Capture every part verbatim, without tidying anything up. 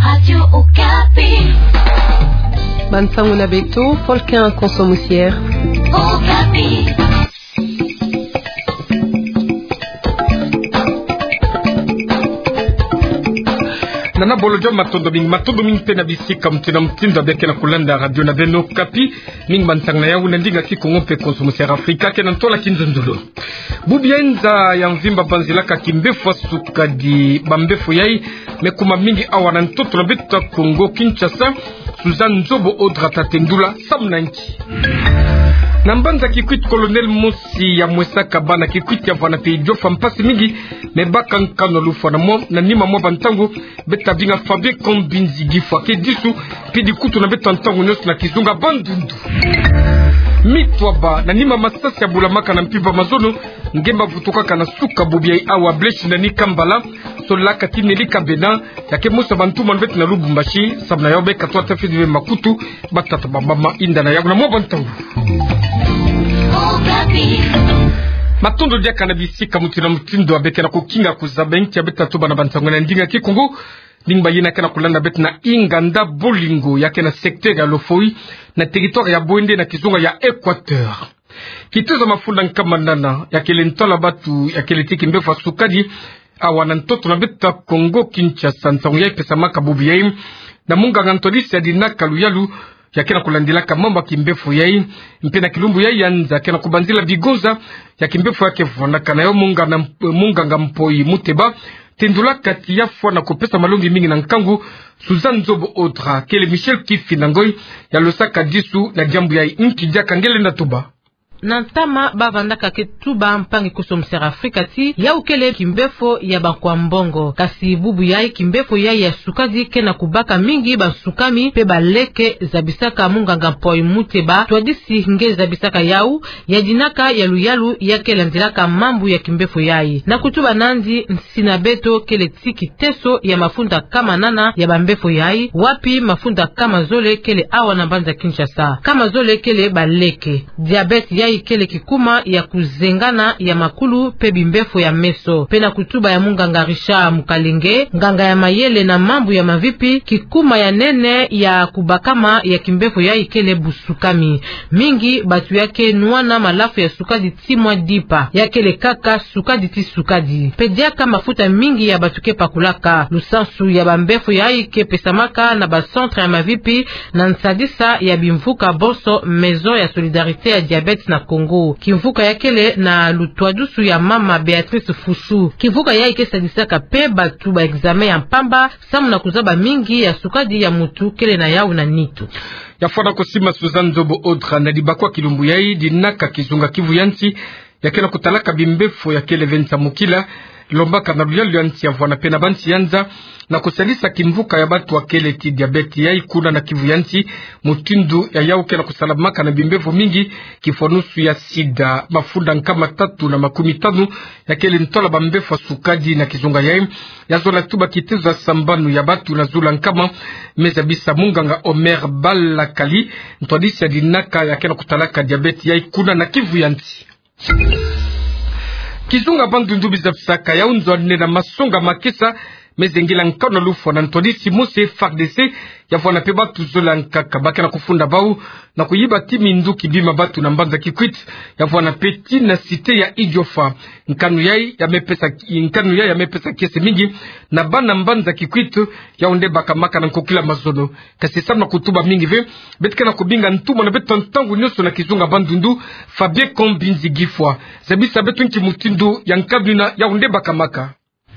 Radio Okapi. Bansango na beto, Folkin Konso Musier. Okapi. Nana Bolo John, matondo mingi, matondo mingi mpe na bisika mutindu na mutindu ya beno ke na kulanda radio na beno Okapi. Mingi bansango na yau na ndinga Kikongo mpe Konso Musier Afrika, ke na ntola kinzonzolo. Bubu ya nza ya mvimba banzilaka kimbefo ya sukadi. Bambefo yai me kuma mingi awa na ntoto na beto ya Kongo Kinshasa. Suzanne Nzobo Odra ta tendula samu na nki. Na mbanza Kikwit, colonel mosi ya mwesaka bana Kikwit ya vwanda mpe idiofa mpasi mingi, me baka nkanu ya lufwa na mwa, na nima mwa bantango. Beto ta binga Fabien Kambinzi Gifwa ke disu, mpidi kutu na beto ya ntango nyonso na kizunga Bandundu. Mitwaba na nima masasi ya bulamaka na mpimpa mazono, nge ma vutukaka na suka bubu yai awa Blaise Ndani Kambala, solaka ti Nelly Kabena, ya ke mosi ya bantumwa na beto na Lubumbashi, samu na yau beka twa tafidi be makutu, batata ba mama, inda na yau na mwa bantango. Matondo diaka na bisika mutindu na mutindu ya beno ke na kukinga kuzaba nki ya beto ta tuba na bansango na ndinga Kikongo. Ndinga bayina ke na kulanda beto na inganda Bolingo ya ke na secteur ya Lofoï, na territoire ya Bouendé na kizunga ya Équateur. Kitezo ya mafunda nkama nana ya kele ntola batu ya kele ti kimbefo ya sukadi awa na ntoto na beto ya Kongo Kinshasa. Nsangu yai pesamaka bubu yai na munganga ntwadisi ya dinaka luyalu ya ke na kulandilaka mambu ya kimbefo yai, mpe na kilumbu yai ya nza ke na kubanzila bigonza ya kimbefo ya ke vwandaka na yau munganga, munganga Mpoi Muteba. Tendulaka ti ya fwa na kupesa malongi mingi na nkangu. Suzanne Nzobo Odra kele Michel Kifinda Ngoy ya losaka disu na diambu yai. Nki diaka nge lenda tuba? Na ntama ba vandaka ke tuba mpangi Konso Musier Afrika ti yau kele kimbefo ya bankwa mbongo. Kasi bubu yai kimbefo yai ya sukadi ke na kubaka mingi bansukami mpe baleke, zabisaka munganga Mpoi Muteba, ntwadisi nge zabisaka yau ya dinaka ya luyalu ya ke landilaka mambu ya kimbefo yai. Na kutuba nandi, nsi na beto kele ti kiteso ya mafunda nkama nana ya bambefo yai, wapi mafunda nkama zole kele awa na mbanza Kinshasa. Nkama zole kele baleke. Diabète yai kele kikuma ya kuzengana ya makulu mpe bimbefo ya meso. Mpe na kutuba ya munganga Richard Mukalenge, nganga ya mayele na mambu ya mavipi, kikuma ya nene ya kubakama ya kimbefo yai kele busukami. Mingi batu ya ke nwana malafu ya sukadi ti mwa dipa, ya kele kaka sukadi ti sukadi. Mpe diaka mafuta mingi ya batu ke pakulaka. Lusansu ya bambefo yai ke pesamaka na ba centre ya mavipi na nsadisa ya bimvuka bonso Maison ya Solidarité ya Diabète na Congo. Kimvuka ya kele na lutwadusu ya mama Béatrice Fusu. Kimvuka yai ke sadisaka mpe batu ba examen ya mpamba, samu na kuzaba mingi ya sukadi ya mutu kele na yau na nitu. Ya fwana kusima Suzanne Nzobo Odra na dibakwa kilumbu yai dinaka kizunga Kivu ya nsi ya ke na kutalaka bimbefo ya kele ve nsamukila, lombaka na luyalu ya nsi ya vwana mpe na bansi ya nza, na kusadisa kimvuka ya batu ya kele ti diabète yai kuna na Kivu ya nsi. Mutindu ya yau ke na kusalamaka na bimbefo mingi, kifwanusu ya sida. Mafunda nkama tatu na makumi tanu ya kele ntola bambefo ya sukadi na kizunga yai. Ya zola tuba kitezo ya sambanu ya batu na zulu ya nkama, me zabisa munganga Omer Balakali, ntwadisi ya dinaka ya ke na kutalaka diabète yai kuna na Kivu ya nsi. Kizunga Bandundu bizabisaka yau nzo ya nne na masonga makesa me zengila nkanu ya lufwa na ntwadisi mosi F A R D C, ya vwana mpe batu zole ya nkaka ba ke na kufunda bau na kuyiba ti minduki bima batu na mbanza Kikwit, ya vwana mpe ti na cité ya Idiofa. Nkanu yai ya me pesa, nkanu yai ya me pesa kiese mingi na bana mbanza Kikwit, yau nde bakamaka na nkokila mazono. Kasi samu na kutuba mingi ve, beto ke na kubinga ntumwa na beto ntangu nyonso na kizunga Bandundu, Fabien Kombinzi Gifwa. Zabisa beto nki mutindu ya nkanu yina yau nde bakamaka.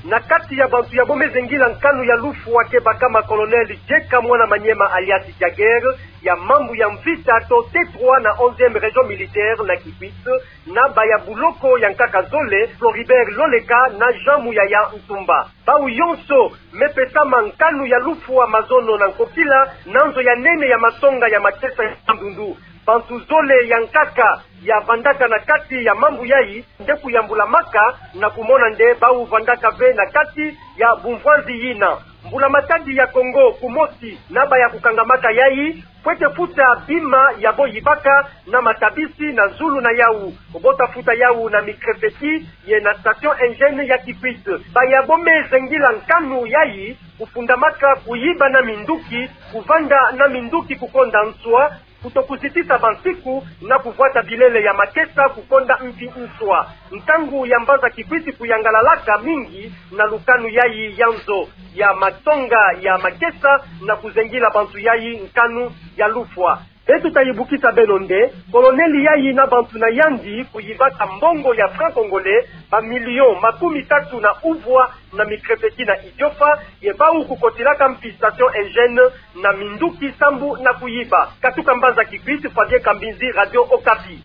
Na kati ya bantu yabo me zengila nkanu ya lufwa ke bakama Colonel Jeka Mwana Maniema alias Jagger, ya mambu ya mvita to T trois na onzième région militaire na Kikwit, na baya buloko ya nkaka zole, Floribert Loleka na Jean Muyaya Ntumba. Bau yonso me pesama nkanu ya lufwa mazono na nkokila na nzo ya nene ya masonga ya makesa ya Bandundu. Bantu zole ya nkaka ya vandaka na kati ya mambu yai nde kuyambulamaka na kumona nde bau vandaka ve na kati ya bumvwanzi yina. Mbula Matadi ya Kongo kumosi na baya kukangamaka yai. Fwete futa bima yabo yibaka na matabisi na zulu na yawu. Bo ta futa yawu na micrefecture ye na station hygiène ya Kikwit. Bayabo me zengila nkanu yayi, kufundamaka kuyiba na minduki, kuvanda na minduki kukonda nswa, kutokuzitisa bansiku, na kuvwata bilele ya makesa kukonda mpi nswa. Ntangu ya mbanza Kikwit kuyangalalaka mingi na lukanu yayi ya nzo ya matsonga ya makesa na kuzengila bantu yayi nkanu ya lufwa. Beto ta yibukisa beno nde, colonel yayi na bantu na yandi kuyibaka mbongo ya franc congolais, ba millions makumi tatu na uvwa na micrefecture na Idiofa, ye bawu kukotilaka mpi station hygiène na minduki sambu na kuyiba. Katuka mbanza Kikwit, Fabien Kambinzi, Radio Okapi.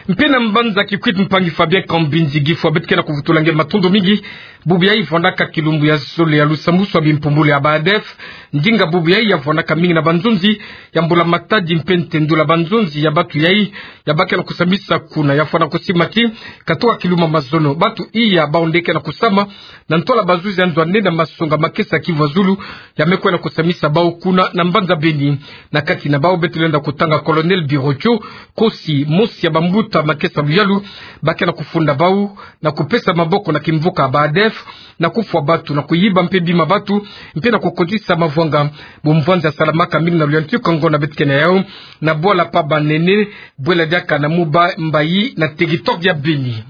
Mpe na mbanza Kikwit, mpangi Fabien Kambinzi, gifwa beto ke na kuvutula nge matondo mingi. Bubu yayi vwandaka kilumbu ya zole ya lusambusu ya bimpumbulu ya ba ADF. Ndinga bubu yayi ya vwandaka mingi na banzonzi ya mbula matadi mpe ntendula banzonzi ya bantu yayi ya ba ke na kusambisa kuna, ya fwana kusima ti katoka kilumbu ya mazono. Bantu iya bawu nde ke na kusama na ntwala bazuzi ya nzo ya nene na masonga makesa Kivu ya Zulu, ya me kwenda kusambisa bawu kuna na mbanza Beni. Na kati na bawu beto lenda kutanga Colonel Birotio, kosi mosi ya bambuta makesa luyalu, ba ke na kufunda bawu na kupesa maboko na kimvuka ba ADF, na kufwa bantu, na kuyiba mpe bima bantu, mpe na kukotisa mavwanga. Bumvwanzi ya salamaka mingi na luyantiku ya ngonda beto ke na yawu, na bwala pa banene, bwela diaka na Muba Mbayi na territoire ya Beni.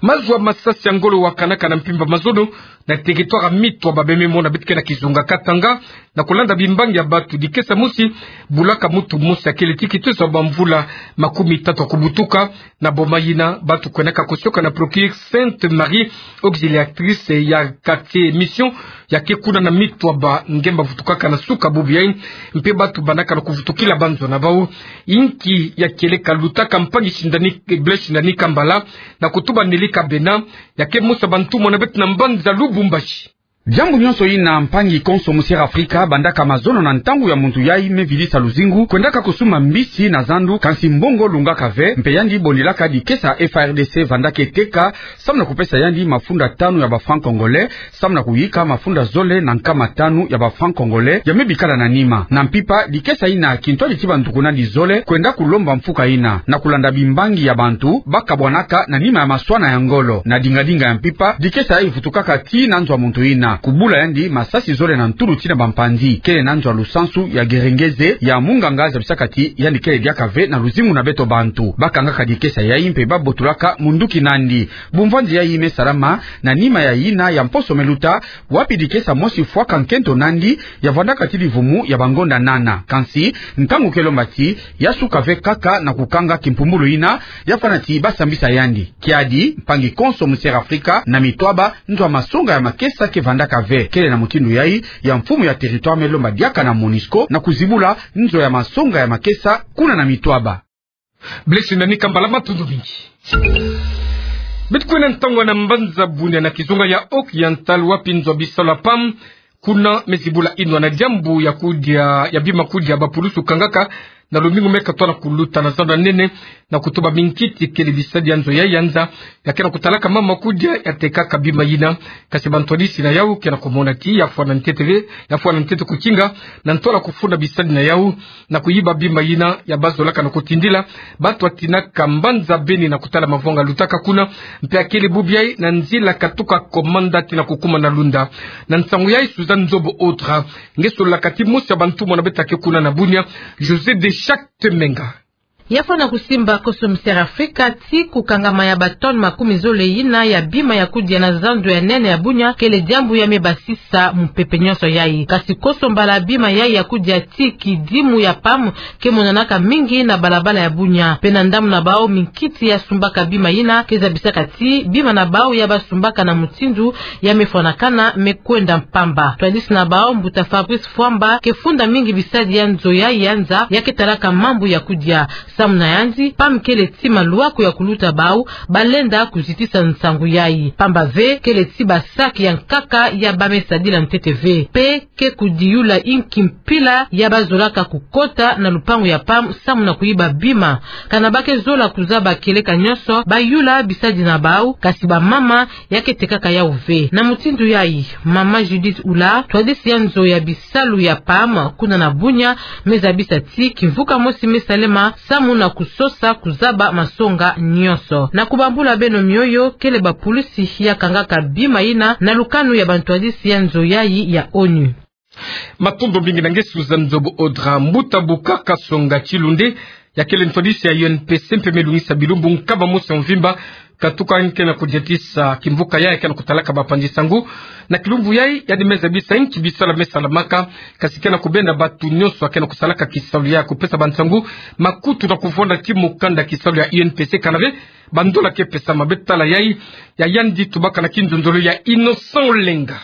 Mazu ya masasi ya ngolo wakanaka na mpimpa mazono na territoire ya Mitwaba, bie me mona beto ke na kizunga Katanga, na kulanda bimbangi ya bantu. Dikesa mosi bulaka muntu mosi ya kele ti kitezo ya bamvula makumi tatu ya kubutuka, na boma yina bantu kwendaka kusioka na Procure Sainte Marie Auxiliatrice ya quartier Mission, ya ke kuna na Mitwaba, ngemba vutukaka na suka bubu yayi, mpe bantu bandaka na kuvutukila banzo na bawu. Inki ya kieleka? Lutaka mpangi Shindani, Blaise Shindani Kambala, na kutuba Nelly Kabena, ya ke mosi ya bantumwa na beto na mbanza Lubumbashi. Diambu nyonso yina mpangi konso Musière Afrika bandaka mazono na ntangu ya muntu yayi me vidisa luzingu, kwendaka kusumba mbisi na zandu, kansi mbongo lungaka ve, mpe yandi bondilaka dikesa F A R D C vandaka teka, samu na kupesa yandi mafunda tanu ya ba francs congolais, samu na kuyika mafunda zole na nkama tanu ya ba francs congolais ya me bikala na nima. Na mpimpa, dikesa yina kintwadi ti bantu kuna di zole kwenda kulomba mfuka yina, na kulanda bimbangi ya bantu ba kabwanaka na nima ya maswana ya ngolo. Na dingadinga ya mpimpa, dikesa yayi vutukaka tii na nzo ya muntu yina, kubula yandi masasi zole na ntulu tii na bampanzi. Kele na nzo ya lusansu ya Gerengeze ya munganga zabisaka ti yandi kele diaka ve na luzingu na beto bantu. Ba kangaka dikesa yayi mpe ba botulaka munduki nandi. Bumvwanzi yayi me salama na nima ya yina ya mposo me luta, wapi dikesa mosi fwaka nkento nandi, ya vwandaka ti divumu ya bangonda nana. Kansi, ntangu ke lomba ti ya suka ve kaka na kukanga kimpumbulu yina, ya fwana ti ba sambisa yandi. Kiadi, mpangi konso Musière Afrika, na Mitwaba, nzo ya masonga ya makesa ke vandaka ve. Kele na mutindu yayi ya mfumu ya territoire me lomba diaka na MONUSCO na kuzibula nzo ya masonga ya makesa kuna na Mitwaba. Blaise Shindani Kambala, matondo mingi. Beto kwenda ntangwa na mbanza Bunia na kizunga ya Haut-Oriental, wapi nzo ya bisalu ya PAM kuna me zibula inwa na diambu ya kudia, ya bima kudia bapulusu kangaka na lumingu me katola kuluta na zando ya nene, na kutuba minkiti kele bisadi ya nzo yayi ya nza, ya ke na kutalaka mama kudia, ya tekaka bima yina. Kasi bantwadisi na yawu ke na kumona ti ya fwana ntete ve, ya fwana ntete kukinga, na ntwala kufunda bisadi na yawu, na kuyiba bima yina ya bazolaka na kutindila bantu ya tinaka mbanza Beni na kutala mavwanga lutaka kuna, mpe ya kele bubu yayi na nzila katuka Komanda tii na kukuma na Lunda. Na nsangu yayi, Suzanne Nzobo Autre, nge sololaka ti mosi ya bantumwa na beto ya ke kuna na Bunia, José de Chacte Menga. Ya fwana kusimba konso Musière Afrika ti kukangama ya ba tonnes makumi zole yina ya bima ya kudia na zando ya nene ya Bunia kele diambu ya me basisa mupepe nyonso yayi. Kasi konso mbala bima yayi ya kudia ti kidimu ya PAM ke monanaka mingi na balabala ya Bunia. Mpe na ndambu na bawu minkiti ya sumbaka bima yina ke zabisaka ti bima na bawu ya basumbaka na mutindu ya me fwanakana me kwenda mpamba. Twadisi na bawu, mbuta Fabrice Fwamba ke funda mingi bisadi ya nzo yayi ya nza, ya ke talaka mambu ya kudia. Samu na yandi, PAM kele ti maluaku ya kuluta bau balenda kuzitisa nsangu yayi. Pamba ve, kele ti ba sac ya nkaka ya ba me sadila ntete ve. Pe ke kudiyula inki mpila ya bazolaka kukota na lupangu ya PAM samu na kuyiba bima. Kana ba ke zola kuzaba kieleka nyonso, bayula bisadi na bau, kasi bamama ya ke tekaka yau ve. Na mutindu yayi, mama Judith Ula, ntwadisi ya nzo ya bisalu ya PAM kuna na Bunia, me zabisa ti kimvuka mosi me salema samu na kusosa kuzaba masonga nyonso. Na kubambula beno mioyo, kele bapulusi ya kangaka bima yina na lukanu ya bantwadisi ya nzo yayi ya ONU. Matondo mingi na ngesu za nzobo Audra. Mbuta Bukaka Songa Tshilunde, ya kele ntwadisi ya U N P C mpe me lungisa bilumbu nkaba mosi ya mvimba, katuka nge ke na kudiatisa kimvuka yayi ya ke na kutalaka bapanzi nsangu. Na kilumbu yayi, yandi me zabisa inki bisalu me salamaka, kasi ke na kubenda batu nyonso ya ke na kusalaka kisalu ya kupesa bansangu makutu na kuvwanda ti mukanda kisalu ya U N P C kana ve bandola ke pesama. Beto tala yayi, ya yandi tubaka na kinzonzolo ya Innocent Olenga.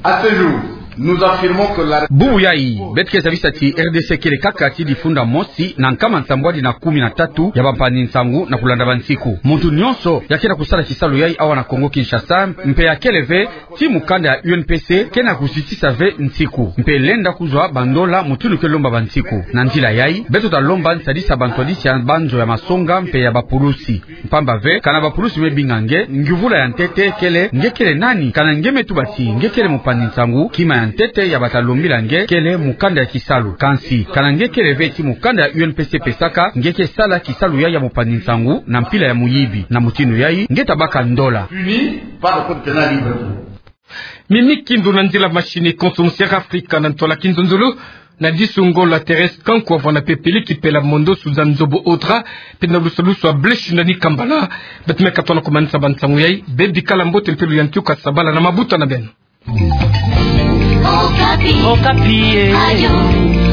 À ce jour, nous affirmons que la Bubu yayi, beto ke zabisa ti R D C kele kaka ti difunda mosi na nkama nsambwadi na kumi na tatu ya bampanzi nsangu na kulanda bansiku. Muntu nyonso ya ke na kusala kisalu yayi awa na Kongo Kinshasa, mpe ya kele ve ti mukanda ya U N P C, ke na kuzitisa ve nsiku, mpe lenda kuzwa bandola mutindu ke lomba bansiku. Na nzila yayi, beto ta lomba nsadisa bantwadisi ya banzo ya masonga mpe ya bapulusi. Pamba ve, kana bapulusi me binga nge, ngiuvula ya ntete kele, nge kele nani? Kana nge me tuba ti nge kele mupanzi nsangu, kima ya ntete ya bata lombila nge kele mukanda ya kisalu. Kansi, kana nge kele ve ti mukanda ya U N P C pesaka, nge ke sala kisalu yayi ya mupanzi nsangu na mpila ya muyibi. Na mutindu yayi, nge ta baka ndola. Puni par le code pénal Libreville. Mimi Kindu na nzila machine, Consommateur Africa na ntwala kinzonzolo. Na disu ngolo Thérèse Kanku wavwanda pepele kipela mondo su za nzobo Audra, mpe na lusalusu ya Blaise Shindani Kambala. Beto me katuka na kumanisa bansangu yayi, bebikala mbote mpe luyantiuka sabala na mabuta na beno. Okapi. Okapi, eh. Radio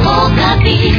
Okapi.